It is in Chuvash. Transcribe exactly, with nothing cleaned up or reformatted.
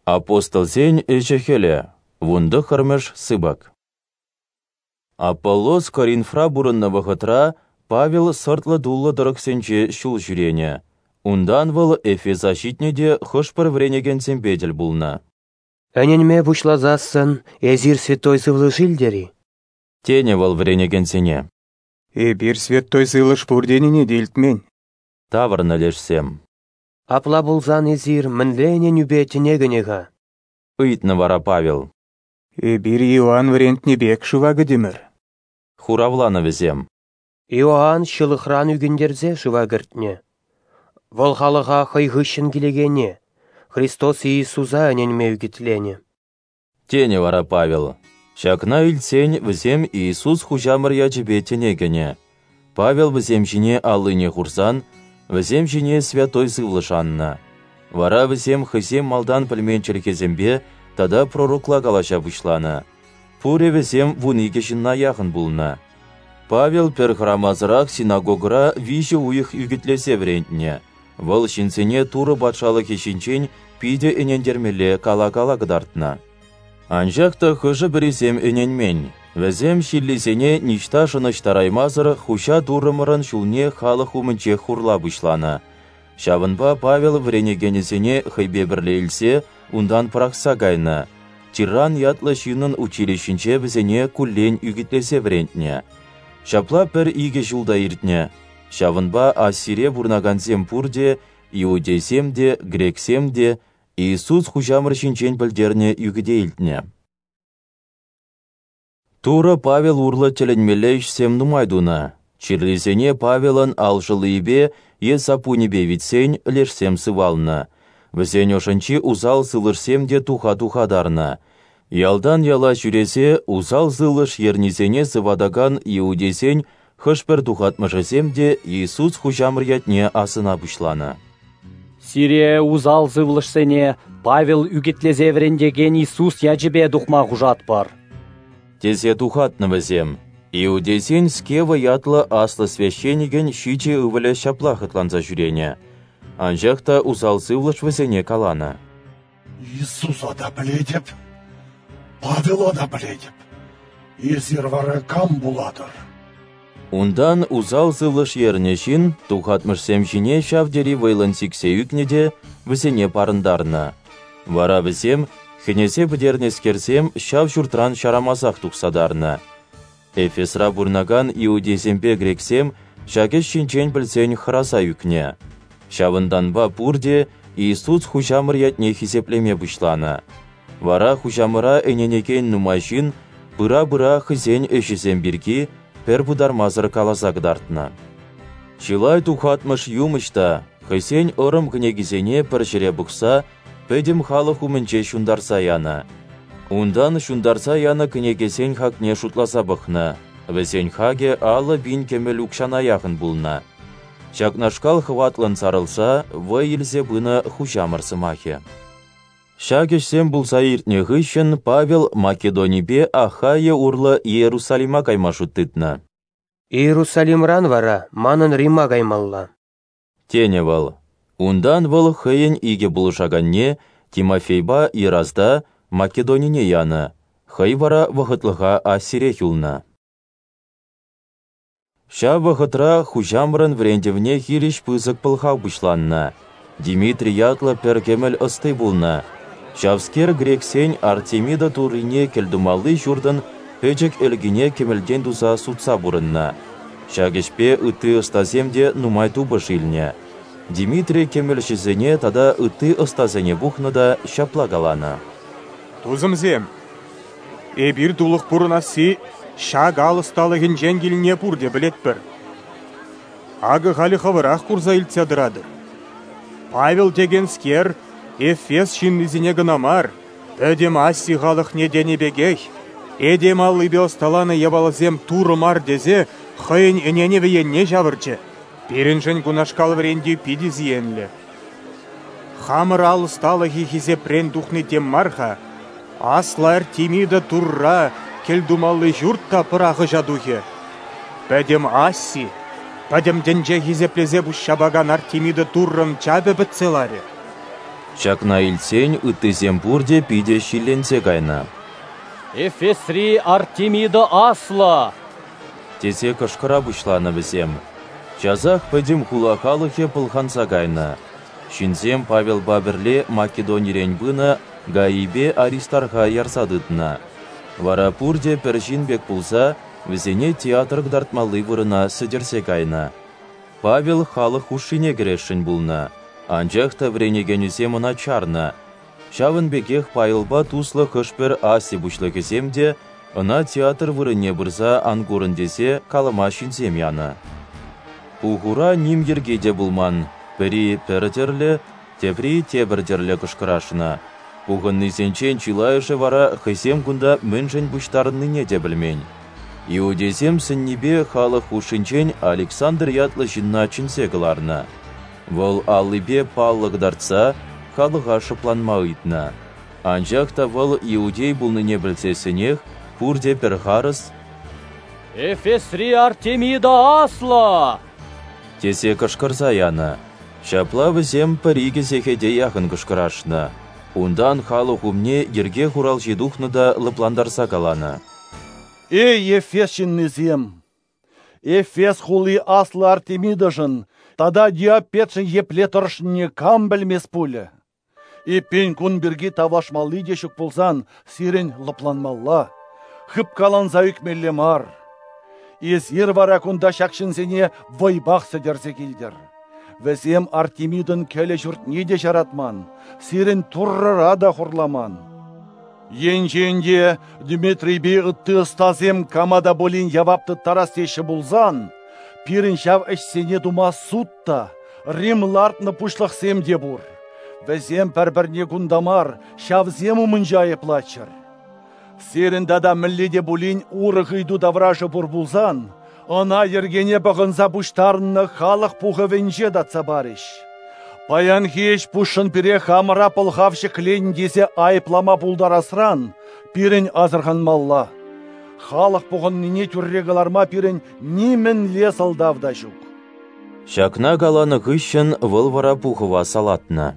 Апостолсен ӗҫӗ-хӗлӗ, вунтӑххӑрмӗш сыпӑк. Аполлос Коринфра пурӑннӑ вӑхӑтра Павел сӑртлӑ-туллӑ тӑрӑхсенче ҫул ҫӳренӗ. Унтан вӑл Эфеса ҫитнӗ те хӑш-пӗр вӗренекенсемпе тӗл пулнӑ. Ӗненме пуҫласассӑн эсир Святой Сывлӑш илтӗр-и? Тенӗ вӑл вӗренекенсене. Эпир Святой Сывлӑш пур тенине те илтмен. Тавӑрнӑ лешсем. Апла пулсан эсир мӗнле ӗненӳпе тӗне кӗнӗ-ха? Ыйтнӑ вара Павел. Эпир Иоанн вӗрентнӗ пек шыва кӗтӗмӗр. Хуравланӑ вӗсем. Иоанн ҫылӑхран ӳкӗнтерсе шыва кӗртнӗ. Вӑл халӑха хӑй хыҫҫӑн килекене, Христос Иисуса ӗненме ӳкӗтленӗ. Тенӗ вара Павел. Ҫакна илтсен вӗсем Иисус Хуҫамӑр ячӗпе тӗне кӗнӗ. Павел вӗсем ҫине аллине хурсан, вӗсем ҫине Святой Сывлӑш аннӑ. Вара вӗсем хӑйсем малтан пӗлмен чӗлхесемпе тата пророкла калаҫа пуҫланӑ. Пурӗ вӗсем вун икӗ ҫынна яхӑн пулнӑ. Павел пӗр хӑрамасӑрах синагогӑра виҫӗ уйӑх ӳкӗтлесе вӗрентнӗ. Вӑл ҫынсене Турӑ патшалӑхӗ ҫинчен питӗ ӗнентермелле кала-кала кӑтартнӑ. Анчах та хӑшӗ-пӗрисем ӗненмен. Вӗсем ҫиллисене ниҫта шӑнӑҫтараймасӑр Хуҫа Туррӑмӑрӑн ҫулне халӑх умӗнче хурла пуҫланӑ. Ҫавӑнпа Павел вӗренекенӗсене хӑйпе пӗрле илсе унтан пӑрахса кайнӑ. Тиран ятлӑ ҫыннӑн училищинче вӗсене куллен ӳкӗтлесе вӗрентнӗ. Ҫапла пӗр икӗ ҫул та иртнӗ. Ҫавӑнпа Асире пурӑнакансем пурте, иудейсем те, грексем те, Иисус Хуҫамӑр ҫинчен пӗлтернӗ ӳкӗте илтнӗ. Турӑ Павел урлӑ тӗлӗнмелле ӗҫсем нумай тунӑ. Чирлисене Павелӑн алшӑллийӗпе е саппунӗпе витсен лешсем сывалнӑ. Вӗсен ӑшӗнчи усал сывлӑшсем те туха-туха тарнӑ. Ялтан яла ҫӳресе усал сывлӑш ернисене сыватакан иудейсен хӑш-пӗр тухатмӑшӗсем те Иисус Хуҫамӑр ятне асӑна пуҫланӑ. Сире усал сывлӑшсене Павел ӳкӗтлесе вӗрентекен Иисус ячӗпе тухма хушатпӑр. Тесе тухатнӑ вӗсем. Иудейсен Скева ятлӑ аслӑ священникӗн ҫичӗ ывӑлӗ ҫапла хӑтланса ҫӳренӗ. Анчах та усал сывлӑш вӗсене каланӑ. Иисуса та пӗлетӗп, Павела та пӗлетӗп. Эсир вара кам пулатӑр? Унтан усал сывлӑш ернӗ ҫын тухатмӑшсем ҫине ҫав тери вӑйлӑн сиксе ӳкнӗ те вӗсене парӑнтарнӑ. Вара вӗсем, хӗнесе пӗтернӗскерсем, ҫав ҫуртран ҫарамасах тухса тарнӑ. Эфесра пурӑнакан иудейсемпе грексем ҫак ӗҫ ҫинчен пӗлсен хӑраса ӳкнӗ. Ҫавӑнтанпа пурте Иисус Хуҫамӑр ятне хисеплеме пуҫланӑ. Вара Хуҫамӑра ӗненекен нумай ҫын пыра-пыра хӑйсен ӗҫӗсем пирки пӗр пытармасӑр каласа кӑтартнӑ. Чылай тухатмӑш юмӑҫ та хӑйсен ӑрӑм кӗнекисене пӗр ҫӗре пухса пӗтӗм халӑх умӗнче ҫунтарса янӑ. Унтан ҫунтарса янӑ кӗнекесен хакне шутласа пӑхнӑ. Вӗсен хакӗ аллӑ пин кӗмӗл укҫана яхӑн пулнӑ. Ҫакнашкал хӑватлӑн сарӑлса вӑй илсе пынӑ Хуҫамӑр сӑмахӗ. Ҫак ӗҫсем пулса иртнӗ хыҫҫӑн Павел Македонипе Ахайя урлӑ Иерусалима кайма шут тытнӑ. Иерусалимран вара манӑн Рима каймалла. Тенӗ вӑл. Унтан вӑл хӑйӗн икӗ пулӑшаканне, Тимофейпа Еразда, Македонине янӑ, хӑй вара вӑхӑтлӑха Асирех юлнӑ. Ҫав вӑхӑтра Хуҫамӑрӑн вӗрентӗвне хирӗҫ пысӑк пӑлхав пуҫланнӑ. Димитрий ятлӑ пӗр кӗмӗл ӑсти пулнӑ. Ҫавскер грексен Артемида туррине кӗлтумалли ҫуртӑн пӗчӗк ӗлкине кӗмӗлтен туса сутса пурӑннӑ. Ҫак ӗҫпе ытти ӑстасем те нумай тупӑш илнӗ. Димитрий кӗмӗлҫӗсене тата ытти ӑстасене пухнӑ та ҫапла каланӑ. Тусӑмсем, эпир тулӑх пурӑнасси ҫак ал ӑсталӑхӗнчен килне пурте пӗлетпӗр. Акӑ халӗ хӑвӑрах курса илтсе тӑратӑр. Павел текенскер Эфес ҫыннисене кӑна мар, пӗтӗм Аси халӑхне тенӗ пекех, этем аллипе ӑсталанӑ япаласем Турӑ мар тесе хӑйӗн ӗненӗвӗ енне ҫавӑрчӗ. Пирӗншӗн кунашкал вӗрентӳ питӗ сиенлӗ. Хамӑр ал ӑсталӑхӗ хисепрен тухни тем мар-ха, аслӑ Артемида турра кӗлтумалли ҫурт та пӑрахӑҫа тухӗ. Пӗтӗм Аси, пӗтӗм тӗнче хисеплесе пуҫҫапакан Артемида туррӑн чапӗ пӗтсе ларӗ. Ҫакна илтсен ыттисем пурте питӗ ҫилленсе кайнӑ. «Эфесри Артемида аслӑ!» тесе кӑшкӑра пуҫланӑ вӗсем. Часах пӗтӗм хула халӑхӗ пӑлханса кайнӑ. Ҫынсем Павелпа пӗрле Македонирен пынӑ Гаийпе Аристарха ярса тытнӑ. Вара пурте пӗр ҫын пек пулса вӗсене театр кӑтартмалли вырӑна сӗтӗрсе кайнӑ. Павел халӑх хушшине кӗресшӗн пулнӑ, анчах та вӗренекенӗсем ӑна чарнӑ. Ҫавӑн пекех Павелпа туслӑ хӑш-пӗр Аси пуҫлӑхӗсем те ӑна театр вырӑнне пырса ан курӑн тесе калама ҫынсем янӑ. Пухура ним йӗрки те пулман, пӗри пӗр тӗрлӗ, тепри тепӗр тӗрлӗ кӑшкӑрашнӑ. Пухӑннисенчен чылайӑшӗ вара хӑйсем кунта мӗншӗн пуҫтарӑннине те пӗлмен. Иудейсем сӗннипе халӑх хушшинчен Александр ятлӑ ҫынна чӗнсе кӑларнӑ. Вӑл аллипе паллӑ кӑтартса халӑха шӑпланма ыйтнӑ. Анчах та вӑл иудей пулнине пӗлсессӗнех пурте пӗр харӑс «Эфесри Артемида аслӑ!» тесе кӑшкӑрса янӑ. Ҫапла вӗсем пӗр-икӗ сехете яхӑн кӑшкӑрашнӑ. Унтан халӑх умне йӗрке хуралҫи тухнӑ та лӑплантарса каланӑ: «Эй, Эфес ҫыннисем! Эфес хули аслӑ Артемидӑшӑн тата Диопетшӗн епле тӑрӑшнине кам пӗлмест пулӗ? Эппин кун пирки тавлашмалли те ҫук пулсан сирӗн лӑпланмалла, хыпкаланса ӳкмелле мар. Эсир вара кунта ҫак ҫынсене вӑйпах сӗтӗрсе килтӗр. Вӗсем Артемидӑн кӗлӗ ҫуртне те ҫаратман, сирӗн туррӑра та хурламан. Енчен те Дмитрийпе ытти ӑстасем кама та пулин явап тыттарас теҫҫӗ пулсан, пирӗн ҫав ӗҫсене тума суд та, Рим лартнӑ пуҫлӑхсем те пур. Вӗсем пӗр-пӗрне кунта мар, ҫавсем умӗнче айӑплаччӑр. Сирӗн тата мӗнле те пулин урӑх ыйту таврашӗ пур пулсан, ӑна йӗркене пӑхӑнса пуҫтарӑннӑ халӑх пухӑвӗнче татса парӗҫ. Паянхи ӗҫ пуҫшӑн пире хамӑра пӑлхав ҫӗкленӗ тесе айӑплама пултарасран пирӗн асӑрханмалла. Халӑх пухӑннине тӳрре кӑларма пирӗн нимӗнле сӑлтав та ҫук». Ҫакна каланӑ хыҫҫӑн вӑл вара пухӑва салатнӑ.